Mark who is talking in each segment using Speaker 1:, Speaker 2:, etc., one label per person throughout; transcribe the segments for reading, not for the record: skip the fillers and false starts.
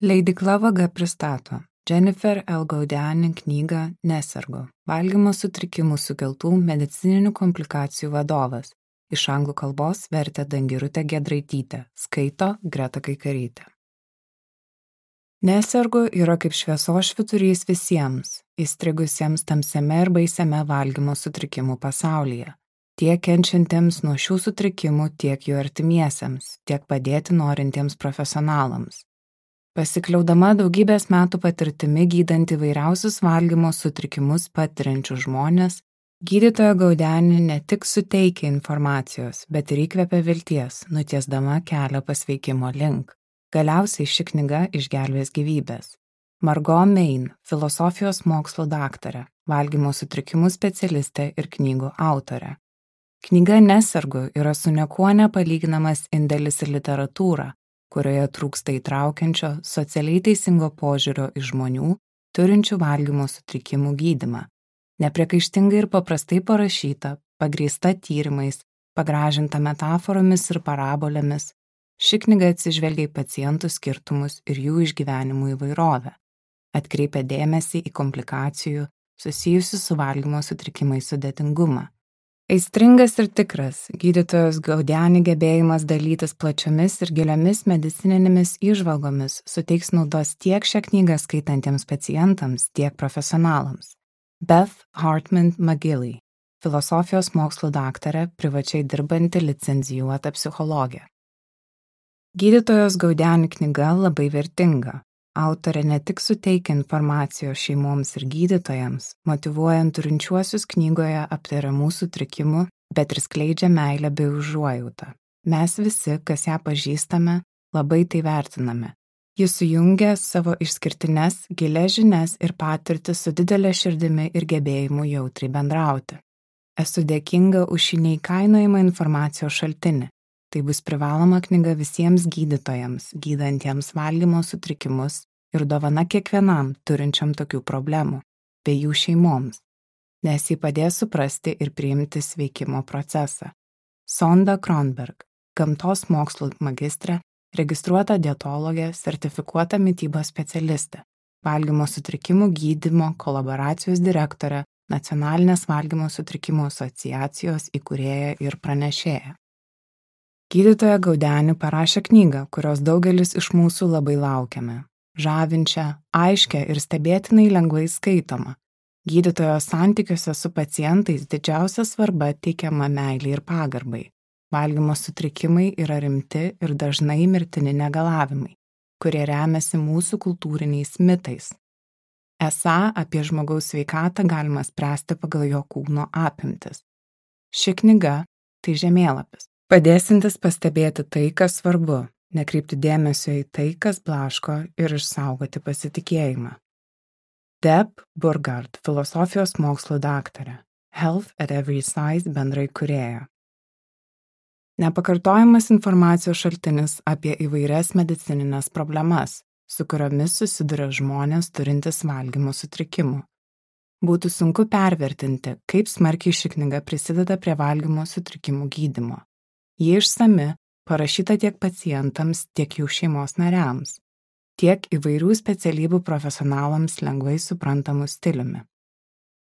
Speaker 1: Leidykla Vaga pristato Jennifer L. Gaudiani knygą Nesergu – valgymo sutrikimų sukeltų medicininių komplikacijų vadovas. Iš anglų kalbos vertė Dangirutė Giedraitytė, skaito Greta Kaikarytė. Nesergu yra kaip šviesos švyturys visiems, įstrigusiems tamsiame ir baisiame valgymo sutrikimų pasaulyje. Tiek kenčiantiems nuo šių sutrikimų, tiek jų artimiesiems, tiek padėti norintiems profesionalams. Pasikliaudama daugybės metų patirtimi gydant įvairiausius valgymo sutrikimus patiriančius žmonės, gydytoja Gaudiani ne tik suteikia informacijos, bet ir įkvepia vilties, nutiesdama kelią pasveikimo link. Galiausiai ši knyga išgelbės gyvybės. Margot Main, filosofijos mokslų daktarė, valgymo sutrikimų specialistė ir knygų autorė. Knyga Nesergu yra su niekuo nepalyginamas indėlis į literatūrą, kurioje trūksta įtraukiančio, socialiai teisingo požiūrio į žmonių, turinčių valgymo sutrikimų gydymą. Nepriekaištingai ir paprastai parašyta, pagrįsta tyrimais, pagražinta metaforomis ir parabolėmis, ši knyga atsižvelgia į pacientų skirtumus ir jų išgyvenimų įvairovę. Atkreipia dėmesį į komplikacijų susijusių su valgymo sutrikimais sudėtingumą. Aistringas ir tikras, gydytojos Gaudiani gebėjimas dalytis plačiomis ir giliomis medicininėmis įžvalgomis suteiks naudos tiek šią knygą skaitantiems pacientams, tiek profesionalams. Beth Hartman McGilley, filosofijos mokslų daktarė, privačiai dirbanti licencijuota psichologė. Gydytojos Gaudiani knyga labai vertinga. Autorė ne tik suteikia informacijos šeimoms ir gydytojams, motyvuojant turinčiuosius knygoje aptariamų sutrikimų, bet ir skleidžia meilę bei užuojautą. Mes visi, kas ją pažįstame, labai tai vertiname. Jis sujungia savo išskirtines, gilias žinias ir patirtį su didelė širdimi ir gebėjimu jautriai bendrauti. Esu dėkinga už šį neįkainojamą informacijos šaltinį. Tai bus privaloma knyga visiems gydytojams, gydantiems valgymo sutrikimus ir dovana kiekvienam turinčiam tokių problemų, bei jų šeimoms, nes ji padės suprasti ir priimti sveikimo procesą. Sonda Kronberg, gamtos mokslų magistrė, registruota dietologė, sertifikuota mitybos specialistė, valgymo sutrikimų gydymo kolaboracijos direktorė, Nacionalinės valgymo sutrikimų asociacijos įkūrėja ir pranešėja. Gydytoja Gaudiani parašė knygą, kurios daugelis iš mūsų labai laukiame. Žavinčią, aiškią ir stebėtinai lengvai skaitomą. Gydytojo santykiuose su pacientais didžiausia svarba teikiama meilei ir pagarbai. Valgymo sutrikimai yra rimti ir dažnai mirtini negalavimai, kurie remiasi mūsų kultūriniais mitais. Esą apie žmogaus sveikatą galima spręsti pagal jo kūno apimtis. Ši knyga – tai žemėlapis, padėsintis pastebėti tai, kas svarbu, nekreipti dėmesio į tai, kas blaško ir išsaugoti pasitikėjimą. Deb Burgard, filosofijos mokslų daktarė, Health at Every Size bendraįkūrėja. Nepakartojamas informacijos šaltinis apie įvairias medicininės problemas, su kuriomis susiduria žmonės turintys valgymo sutrikimų. Būtų sunku pervertinti, kaip smarkiai ši knyga prisideda prie valgymo sutrikimų gydymo. Ji išsami, parašyta tiek pacientams, tiek jų šeimos nariams, tiek įvairių specialybių profesionalams lengvai suprantamų stiliumi.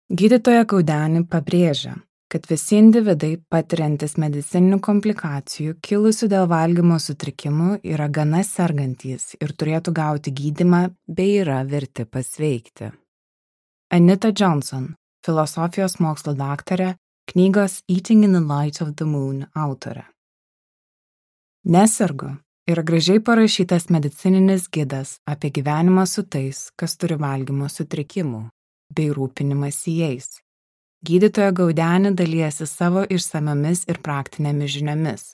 Speaker 1: Gydytoja Gaudiani pabrėžia, kad visi individai patiriantis medicininių komplikacijų kilusių dėl valgymo sutrikimų yra gana sergantys ir turėtų gauti gydymą bei yra verti pasveikti. Anita Johnson, filosofijos mokslo daktarė, knygos Eating in the Light of the Moon autorė. Nesergu yra gražiai parašytas medicininis gidas apie gyvenimą su tais, kas turi valgymo sutrikimų, bei rūpinimąsi jais. Gydytoja Gaudiani dalijasi savo išsamiomis ir praktinėmis žiniomis.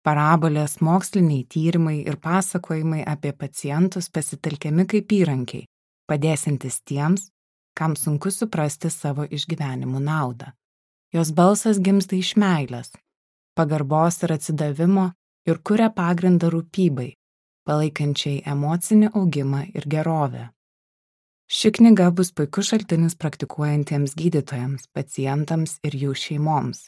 Speaker 1: Parabolės, moksliniai tyrimai ir pasakojimai apie pacientus pasitelkiami kaip įrankiai, padėsintis tiems, kam sunku suprasti savo išgyvenimų naudą. Jos balsas gimsta iš meilės, pagarbos ir atsidavimo ir kuria pagrindą rūpybai, palaikančiai emocinį augimą ir gerovę. Ši knyga bus puikus šaltinis praktikuojantiems gydytojams, pacientams ir jų šeimoms.